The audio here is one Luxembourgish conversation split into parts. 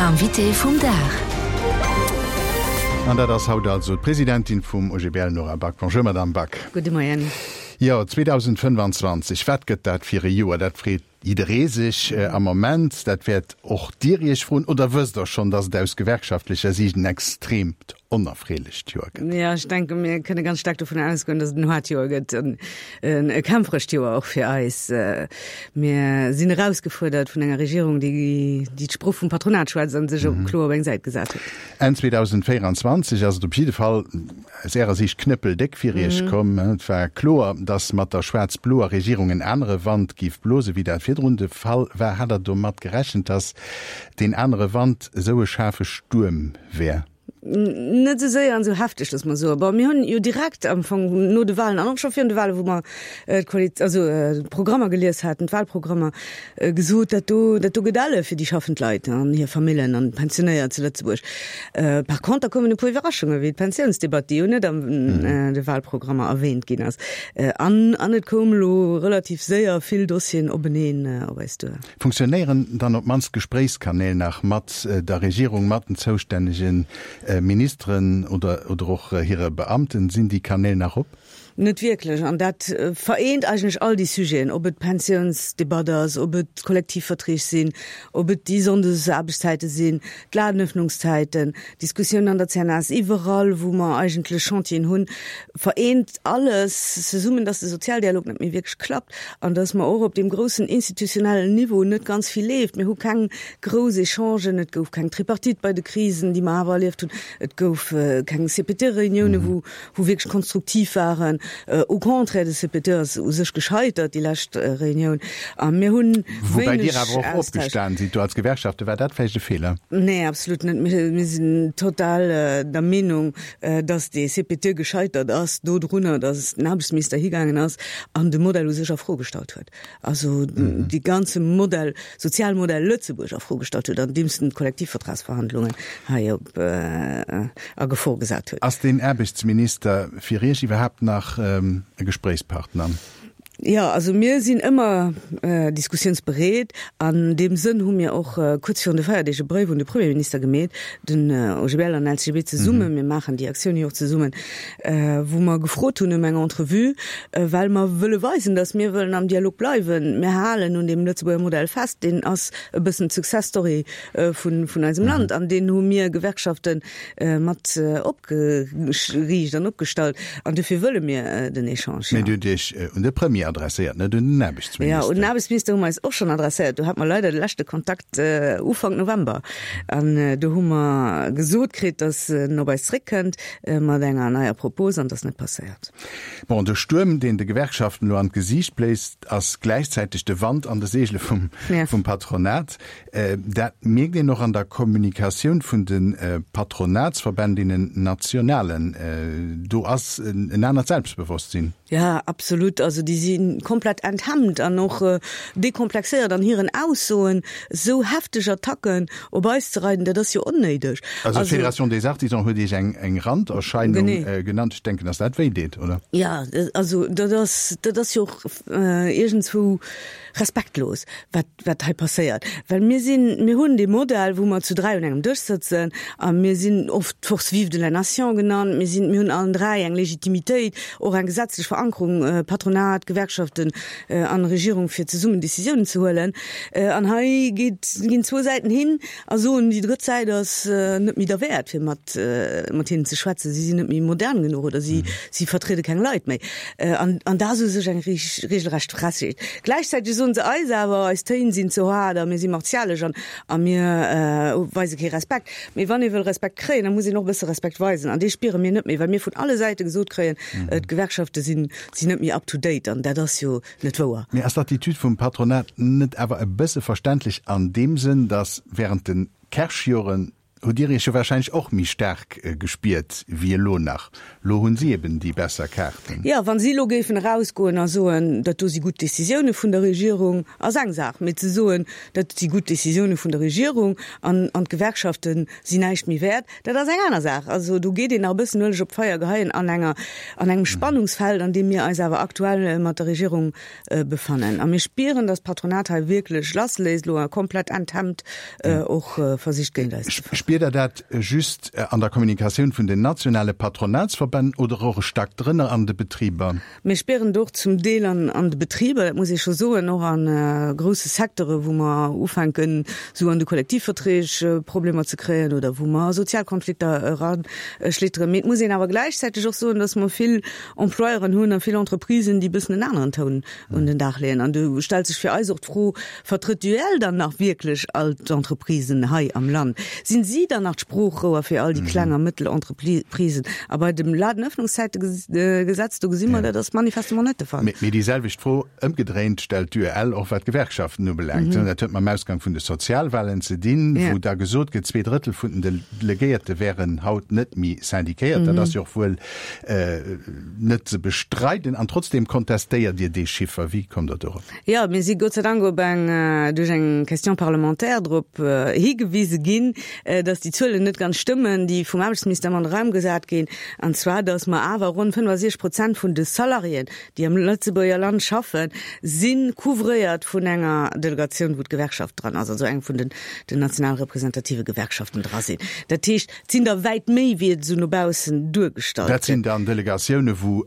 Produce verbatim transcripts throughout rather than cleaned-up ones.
Invité vum Dag. An dat ass haut also d'Presidentin vum O G B L, Nora Back. Bonjour, Madame Back. Gudde Moien. Jo, zweedausendfënnfanzwanzeg, wat gëtt dat fir e Joer? Dat freet jidderee sech am Moment. Dat wäert och Dir Iech froen. Oder wësst Der schonn, datt et aus gewerkschaftlecher Siicht en extreemt onerfreelecht Joer gëtt? Jo, ech denke mir kënne ganz staark dovun ausgoen, datt et en haart Joer gëtt an e kämpferescht Joer och fir eis. Mir sinn erausgefuerdert vun enger Regierung, déi déi d'Sprooch vum Patronat schwätzt an sech och kloer op eng Säit gesat huet. Enn zweedausendvéieranzwanzeg ass et op jidde Fall aus Ärer Siicht knëppeldéck fir Iech komm. Et war kloer, datt mat der schwaarz-bloer Regierung en anere Wand géif blose wéi dat virdrun de Fall war. Hat Der domat gerechent, datt deen anere Wand esou e schaarfe Stuerm wär? Net esou séier an esou hefteg, loosse mer soen. Bon, mir hunn jo direkt am Fong no de Wahlen an och scho virun de Wahlen, wou mer d'Koali-, also d'Programmer gelies haten, d'Wahlprogrammer, gesot, dat do, dat do gëtt elle fir déi schaffend Leit an hir Famillen an d'Pensionéiert zu Lëtzebuerg. Par conter koumen e puer Iwwerraschunge wéi d'Pensiounsdebatt, déi jo net an de Wahlprogrammer erwähnt ginn ass. An, an et koum elo relativ séier vill Dossieren openeen op eis duer. Funktionéieren dann op d'mannst d'Gespréichskanäl nach mat der Regierung, mat den zoustännegen Ministeren oder, oder och hire Beamten? Sinn déi Kanäl nach op? Net wierklech. An dat vereent eigentlech all déi Sujeten, ob et d'Pensiounsdebatt ass, ob et d'Kollektivverträg sinn, ob et déi Sonndesaarbechtszäite sinn, d'Ladenöffnungszäiten, Diskussiounen an der C N S, iwwerall wou mer eigentlech Chantieren hunn, vereent alles zesummen, dass de Sozialdialog net méi wierklech klappt an dass mer och op deem groussen institutionellen Niveau net ganz vill leeft. Mir hu keng grouss Echangen, et gouf keng Tripartite bei de Krisen, déi mer awer erlieft hunn, et gouf keng C P T-Reunioune wou wou wierklech konstruktiv waren. Au contraire, de C P T ass u sech gescheitert, déi lescht Reunioun, a mir hunn Woubäi Dir awer och opgestan sidd do als Gewerkschafte. War dat vläicht e Feeler? Nee, absolut net. Mir, mir sinn total der Meenung, dass dee C P T gescheitert ass dodrunner, dass den Aarbechtsminister higaangen ass an de Modell u sech a Fro gestallt huet. Also dee ganze Modell, Sozialmodell Lëtzebuerg a Fro gestallt huet, andeems en d'Kollektivvertragsverhandlungen hei op a Gefor gesat huet. Ass den Aarbechtsminister fir Iech iwwerhaapt nach e Gespréichspartner? Jo, also mir sinn ëmmer diskussiounsbereet. An deem Sënn hu mir och kuerz virun de Feierdeeg e Bréif un de Premierminister gemeet, den O G B L an L C G B zesummen, mir maachen déi Aktioun jo och zesummen, wou mer gefrot hunn ëm eng Entrevue, well mer wëlle weisen, datt mir wëllen am Dialog bleiwen. Mir halen un deem Lëtzebuerger Modell fest, deen ass e bëssen d'Success Story vun vun eisem Land an deen hu mir Gewerkschafte mat opgeriicht an opgestallt an dofir wëlle mir den Echange. Mee Dir hutt Iech un de Premier adresséiert, net un den Aarbechtsminister. Jo, un den Aarbechtsminister hu mer eis och schonn adresséiert. Do hate mer leider de leschte Kontakt Ufank November an do hu mer gesot kritt, datt en op eis zréckkënnt mat enger neier Propos an dat ass net passéiert. Bon, de Stuerm, deen de Gewerkschaften elo an d'Gesiicht bléist, ass gläichzäiteg de Wand an de Seegele vum, vum Patronat. Dat mierkt een och an der Kommunikatioun vun de Patronatsverbänn, deenen nationalen. Do ass en anert Selbstbewosstsinn. Ja, absolut. Also déi si komplett enthemmt an och dekomplexéiert an hiren Aussoen. Esou hefteg Attacken op eis ze reiden, dat ass jo onnéideg. Also d'Fédération des Artisans huet Iech eng, eng Randerscheinung genannt. Ech denken, dass dat wéi deet, oder? Ja, also dat ass, dat ass jo och iergendswou respektlos, wat, wat hei passéiert. Well mir sinn, mir hunn dee Modell, wou mer zu dräi un engem Dësch sëtzen a mir sinn oft d'Force vive de la nation genannt. Mir sinn, mir hunn allen dräi eng Legitimitéit, och eng gesetzlech Verankerung, Patronat, Gewerkschaften an Regierung, fir zesummen Décisiounen ze huelen. An hei geet, ginn zwou Säiten hin a soen, déi drëtt Säit ass net méi derwäert, fir mat, mat hinnen ze schwätzen. Si sinn net méi modern genuch oder si, si vertriede keng Leit méi. An, an dat ass u sech eng regelrecht Frechheet. Gläichzäiteg soen se eis awer, eis Téin sinn ze haart a mir si martialesch an, a mir weise kee Respekt. Mee wann ee wëll Respekt kréien, da muss een och e bësse Respekt weisen. An dee spiere mir net méi, well mir vun alle Säite gesot kréien, d'Gewerkschafte sinn, sinn net méi up to date. An dat ass jo net wouer. Mee ass d'Attitude vum Patronat net awer e bësse verständlech an deem Sënn, datt während de Kersch-Joren hutt Dir Iech jo warscheinlech och méi staark gespiert wéi elo nach. Lo hunn si eben déi besser Kaarten. Jo, wa si elo géifen erausgoen a soen, dat do si gutt Decisioune vun der Regierung, ass eng Saach, mee ze soen, dat si gutt Decisioune vun der Regierung an an d'Gewerkschafte sinn näischt méi wäert, dat ass eng aner Saach. Also do geet een nach e bëssen Ueleg op d'Feier geheien an enger, an engem Spannungsfeld, an deem mir eis awer aktuell mat der Regierung befannen. A mir spieren, dass d'Patronat hei wierklech lassléisst elo a komplett enthemmt och versicht géint eis ze verhandelen. Spiert Der dat just an der Kommunikatioun vun den nationale Patronatsverbänn oder och e Stack drënner an de Betriber? Mir spieren et och zum Deel an de Betriber, dat muss ee scho soen, och a grousse Secteure wou mer ufänken esou an de Kollektivverträg Problemer ze kréien oder wou mer a Sozialkonflikter eraschlitteren. Mee et muss een awer gläichzäiteg och soen, dass mer vill Employeuren hunn a vill Entreprisen, déi e bëssen en aneren Toun un den Dag leeën. An do stellt sech fir eis och d'Fro, Vertrëtt d'UEL dann nach wierklech all d'Entreprisen hei am Land? Sinn si dann nach d'Sproochrouer fir all déi kleng a mëttel Entreprisen? A bei dem Ladenöffnungszeitegesetz, do gesi mer, dat ass manifestement net de Fall. Mee déi selwecht Fro ëmgedréint stellt d'UEL och wat d'Gewerkschaften ubelaangt. Dat huet mam Ausgang vun de Sozialwahlen ze dinn, wou da gesot gëtt, zwee Drëttel vun den Delegéierte wären haut net méi syndiquéiert. Dat ass jo och wuel net ze bestreiden. An trotzdeem kontestéiert Dir dee Chiffer. Wéi kommt Der dorop? Jo, mir si Gott sei Dank op eng, duerch eng Question parlementaire drop higewise ginn, dass déi Zuelen net ganz stëmmen, déi vum Aarbechtsministère an de Raum gesat ginn, an zwar dass mer awer ronn fënnefasechzeg Prozent vun de Salariéen, déi am Lëtzebuerger Land schaffen, si couvréiert vun enger Delegatioun, wou d'Gewerkschaft dran ass, also eng vun den den national representative Gewerkschaften dra sinn. Dat heescht, et sinn der wäit méi, wéi et esou no baussen duergestallt Dat sinn gëtt. dann Delegatioune wou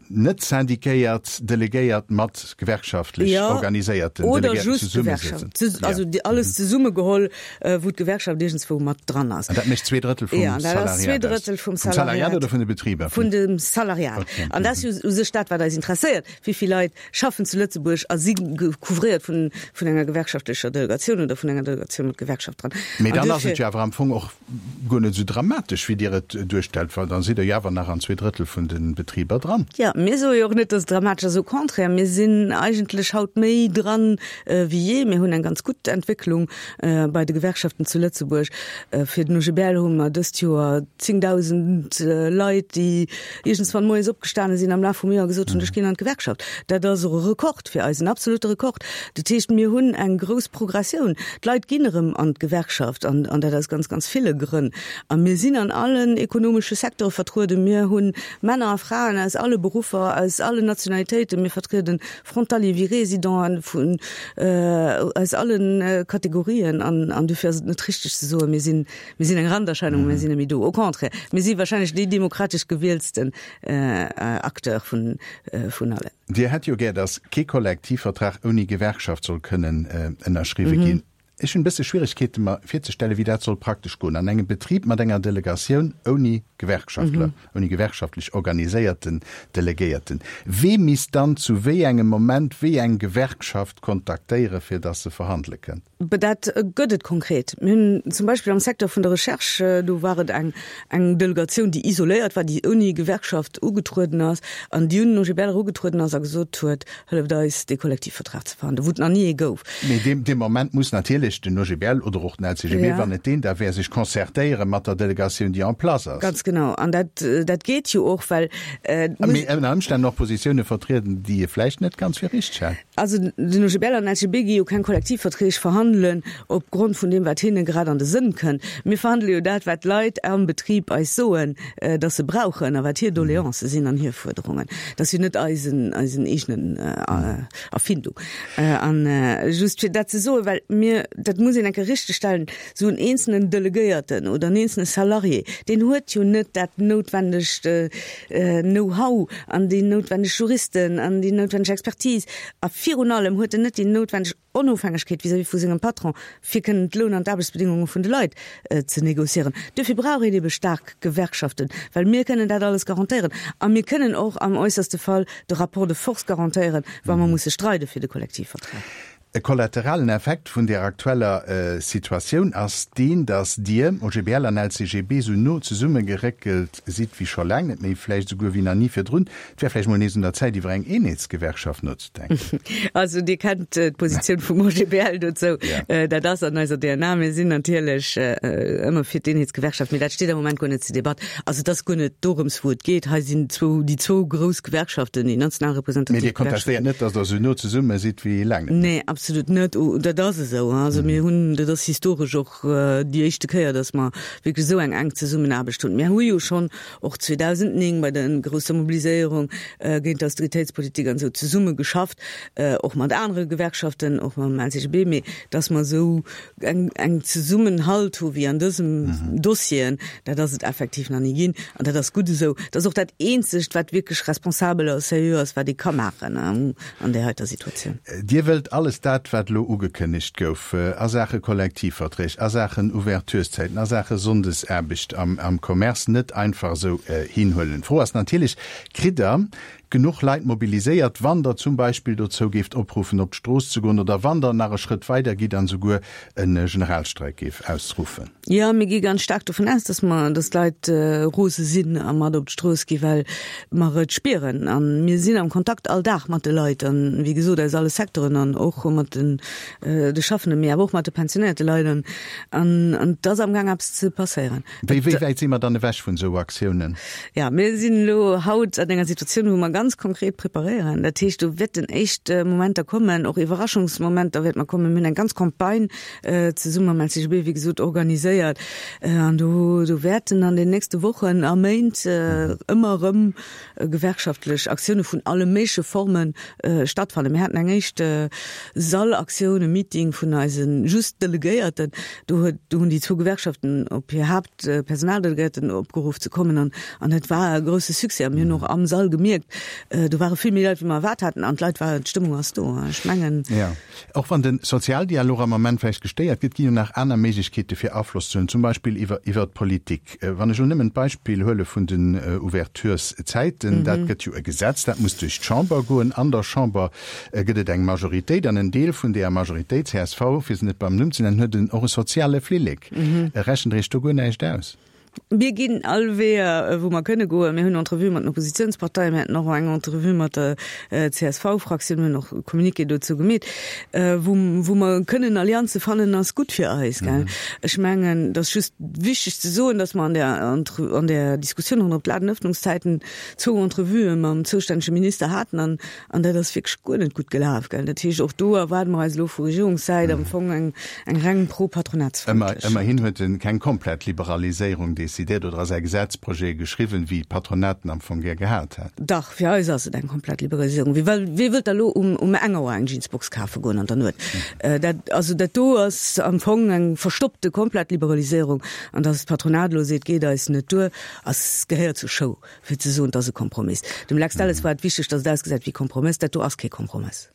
net syndiquéiert Delegéiert mat gewerkschaftlech Jo, organiséierten oder Delegéierten just zesummesëtzen. Gewerkschaft, also déi alles zesummegeholl, wou d'Gewerkschaft iergendswou mat dran ass. An dat mécht zwee Drëttel vum Jo, an dat ass zwee Salariat aus. Drëttel vum Vum Salariat Salariat. oder vun de Betriber? Vun dem Salariat. An dat ass jo u sech dat, wat eis interesséiert, Wéi vill Leit schaffen zu Lëtzebuerg a si couvréiert vun vun enger gewerkschaftlecher Delegatioun oder vun enger Delegatioun mat Gewerkschaft dran? Mee An dann ass et duerfir. jo awer am Fong och guer net esou dramatesch, wéi Dir et duerstellt, well da sidd Der jo awer nach an zwee Drëttel vun de Betriber dran. Jo, mir soe jo och net, dass et dramatesch ass. Au contraire, mir sinn eigentlech haut méi dran wéi jee. Mir hunn eng ganz gutt Entwécklung bei de Gewerkschaften zu Lëtzebuerg. Fir den O G B L hu mer dëst Joer zéngdausend Leit, déi iergendswann moies opgestane sinn am Laf vum Joer a gesot hunn, ech ginn an d'Gewerkschaft. Dat ass och e Rekord fir eis, en absolute Rekord. Dat heescht, mir hunn eng grouss Progressioun. D'Leit ginn erëm an d'Gewerkschaft an dat aus ganz, ganz ville Grënn. A mir sinn an allen ekonomesche Secteure vertrueden. Mir hu Männer a Fraen aus alle Beruffer, aus allen Nationalitéiten. Mir vertrieden Frontalier wéi Résidenten vun aus allen Kategorien. An dofir ass et net richteg ze soen, mir sinn, mir sinn eng Randerscheinung, mir sinn net méi do. Au contraire, mir si wahrscheinlech dee demokratesch gewieltsten Acteur vun allen. Dir hätt jo gär, datt kee Kollektivvertrag ouni Gewerkschaft soll kënnen ënnerschriwwe ginn. Ech hunn e bësse Schwieregkeete mer virzestellen, wéi dat soll praktesch goen an engem Betrib mat enger Delegatioun ouni Gewerkschaftler, ouni gewerkschaftlech organiséierten Delegéierten. Wee misst dann zu wéi engem Moment wéi eng Gewerkschaft kontaktéiere fir datt se verhandele kënnt? Dat gëtt et konkret. Mir hunn zum Beispill am Secteur vun der Recherche, do war et eng eng Delegatioun, déi isoléiert war, déi ouni Gewerkschaft ugetrueden ass an déi un den O G B L erugetrueden ass a gesot huet, Hëlleft eis, dee Kollektivvertrag ze verhandelen, wou et nach ni ee gouf. Mee dee dee Moment muss natierlech den O G B L oder och den L C G B, Ja. wann et deen da wär, sech concertéiere mat der Delegatioun, déi en place ass. Ganz genau. An dat dat geet jo och, well et muss. Mee ënner Ëmstänn och Positioune vertrieden, déi ee vläicht net ganz fir richteg hält. Also den O G B L an den L C G B gi jo keng Kollektivverträg verhandelen op Grond vun deem, wat hinne grad an de Sënn kënnt. Mir verhandele jo dat, wat d'Leit am Betrib eis soen, datt se brauchen a wat hir Doleancë sinn an hir Fuerderungen. Dat ass jo net eisen, eisen eegenen Erfindung. An just fir dat ze soen, well mir, dat muss een eng Kéier richtegstellen, esou en eenzelnen Delegéierten oder en eenzelne Salarié, deen huet jo net dat noutwendegt Know-how an déi noutwendeg Juristen an déi noutwendeg Expertise a virun allem huet en net déi noutwendeg Onofhängegkeet vis-à-vis vu sengem Patron, fir kënnen d'Loun an d'Aarbechtsbedingunge vun de Leit ze négociéieren. Duerfir brauch een ebe staark Gewerkschaften, well mir kënnen dat alles garantéieren a mir kënnen och am äusserste Fall de Rapport de force garantéieren, wa mer musse streide fir de Kollektivvertrag. E kollateralen Effekt vun der aktueller Situatioun ass deen, datt Dir, OGBL an LCGB, esou no zesummegeréckelt sidd wéi scho laang net méi, vläicht esouguer wéi nach ni virdrun. Et wär vläicht mol nees un der Zäit, iwwer eng Eenheetsgewerkschaft nozedenken. Also Dir kennt d'Positioun vum OGBL dozou. Dat ass an eiser DNA. Mir sinn natierlech ëmmer fir d'Eenheetsgewerkschaft, mee dat steet am Moment guer net zur Debatt. Also et ass guer net dorëms, wou et geet. Hei sinn zwou, déi zwou grouss Gewerkschaften, déi national representativ Mee Dir kontestéiert net, datt Der esou no zesumme sidd wéi laang net méi? Nee, absolut net. Dat ass esou. Also mir hunn, dat ass historesch och déi éischte Kéier, datt mer wierklech esou eng enk Zesummenaarbecht hunn. Mir hu jo schonn och zweedausendnéng bei der grousser Mobiliséierung géint d'Austeritéitspolitik an esou zesumme geschafft, och mat anere Gewerkschaften, och mam L C G B, mee datt mer esou eng eng Zesummenhalt hu wéi an dësem Dossieren, dat ass et effektiv nach ni ginn. An dat ass gutt esou. Dat ass och dat Eenzegt, wat wierklech responsabel a seriö ass, wat ee ka maachen an där heiter Situatioun. Dir wëllt alles dat, wat elo ugekënnegt gouf a Saache Kollektivverträg, a Saachen Ouvertureszäiten, a Saache Sonndesaarbecht am Commerce, net einfach esou hinhuelen. D'Fro ass natierlech, Kritt Der genuch Leit mobiliséiert, wann Der zum Beispill dozou géift opruffen, op d'Strooss ze goen, oder wann Der nach e Schrëtt weider gitt an esouguer e Generalstreik géif ausruffen? Jo, mir gi ganz staark dovun aus, dass mer, dass d'Leit rose sinn a mat op d'Strooss gi well mer et spieren. A mir sinn am Kontakt all Dag mat de Leit an, wéi gesot, aus alle Secteuren an och mat den de Schaffenden, mee awer och mat de pensionéierte Leit an an et ass amgaang eppes ze passéieren. Wéi wéi wäit si mer dann ewech vun esou Aktiounen? Jo, mir sinn elo haut an enger Situatioun, wou mer ganz konkret preparéieren. Dat heescht, do wäerten éischt Momenter kommen, och Iwwerraschungsmomenter wäerte mer kommen. Mir hunn eng ganz Campagne zesumme mam L C G B, wéi gesot, organiséiert. An do do wäerten an den nächste Wochen a Méint ëmmer erëm gewerkschaftlech Aktioune vun alle méigleche Forme stattfannen. Mir haten eng éischt Sallaktioun, e Meeting vun eise just Delegéierten. Do huet, do hunn déi zwou Gewerkschaften op hir Haaptpersonaldelegéierten opgeruff ze kommen an an dat war e grousse Succès. A mir hunn och am Sall gemierkt, do ware vill méi Leit wéi mer erwaart haten an d'Leit waren, d'Stëmmung ass do. Ech mengen. Jo. Och wann de Sozialdialog am Ament vläicht gestéiert gëtt, ginn jo nach aner Méiglechkeete fir Afloss ze hunn, zum Beispill iwwer iwwer d'Politik. Wann ech elo nëmmen d'Beispill huele vun den Ouvertureszäiten, dat gëtt jo e Gesetz, dat muss duerch d'Chamber goen. An der Chamber gëtt et eng Majoritéit an en Deel vun deeër Majoritéit, C S V, fir se net beim Numm ze nennen, huet en och e soziale Flillek. Rechent Der Iech do guer näischt aus? Mir ginn all Weeër, wou mer kënne goen. Mir hunn Entrevuë mat den Oppositionsparteien, mir haten och eng Entrevue mat der C S V-Fraktioun, mir hunn och e Communiqué dozou gemeet. Wou, wou mer kënnen Allianze fannen, ass gutt fir eis, gell. Ech mengen, et ass just wichteg ze soen, dass mer an där, an där Diskussioun ronderëm d'Ladenëffnungszäiten zwou Entrevuë mam zoustännege Minister haten an, an dat ass wierklech guer net gutt gelaf, gell. Dat heescht, och do erwaarde mer eis elo vu Regierungssäit am Fong eng, eng reng pro-patronatsfrëndlech. Ëmmerhin huet en keng komplett Liberaliséierung decidéiert oder a säi Gesetzprojet geschriwwen, wéi d'Patronaten am Fong gär gehat hätten. Dach, fir eis ass et eng komplett Liberaliséierung. Wie well, wie wëllt da lo um, um eng Auer eng Jeansbox kafe goen an der Nuet? Dat, also dat do ass am Fong eng verstoppte komplett Liberaliséierung. An datt d'Patronat elo seet, geet eis net duer, ass, gehéiert zur Show, fir ze soen, et ass e Kompromiss. Dem Lex Delles war et wichteg, datt et ausgesäit wéi Kompromiss. Dat do ass kee Kompromiss.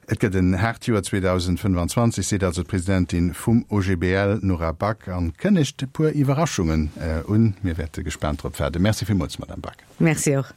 Et gëtt en haart Joer zweedausendfënnefanzwanzeg, seet also d'Presidentin vum O G B L Nora Back an kënnegt e puer Iwwerraschungen un. Mir wäerte gespaant drop waarden. Merci villmools, Madame Back. Merci och.